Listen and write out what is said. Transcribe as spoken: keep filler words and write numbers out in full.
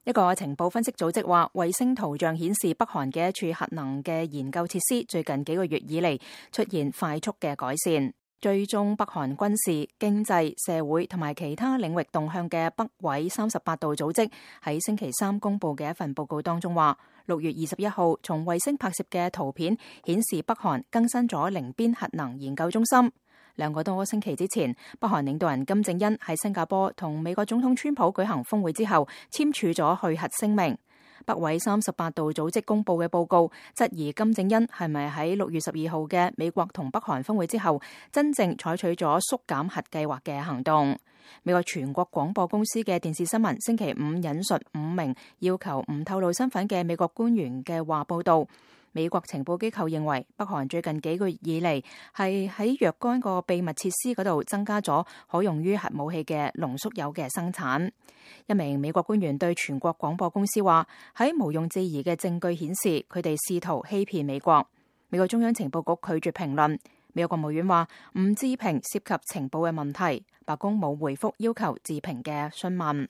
一個情報分析組織話，衛星圖像顯示北韓嘅一處核能嘅研究設施最近幾個月以嚟出現快速嘅改善。追蹤北韓軍事、經濟、社會同埋其他領域動向嘅北緯三十八度組織喺星期三公布嘅一份報告當中話，六月二十一號從衛星拍攝嘅圖片顯示北韓更新咗寧邊核能研究中心。兩個多星期之前，北韓領導人金正恩喺新加坡同美國總統川普舉行峰會之後，簽署咗去核聲明。北緯三十八度組織公布嘅報告質疑金正恩係咪喺六月十二號嘅美國同北韓峰會之後，真正採取咗縮減核計劃嘅行動。美國全國廣播公司嘅電視新聞星期五引述五名要求唔透露身份嘅美國官員嘅話報道，美國情報機構認為北韓最近幾個月以嚟係喺若干個秘密設施嗰度增加咗可用於核武器嘅濃縮鈾嘅生產。一名美國官員對全國廣播公司話，喺毋庸置疑嘅證據顯示佢哋試圖欺騙美國。美國中央情報局拒絕評論。美國國務院話唔置評涉及情報嘅問題。白宮冇回覆要求置評嘅詢問。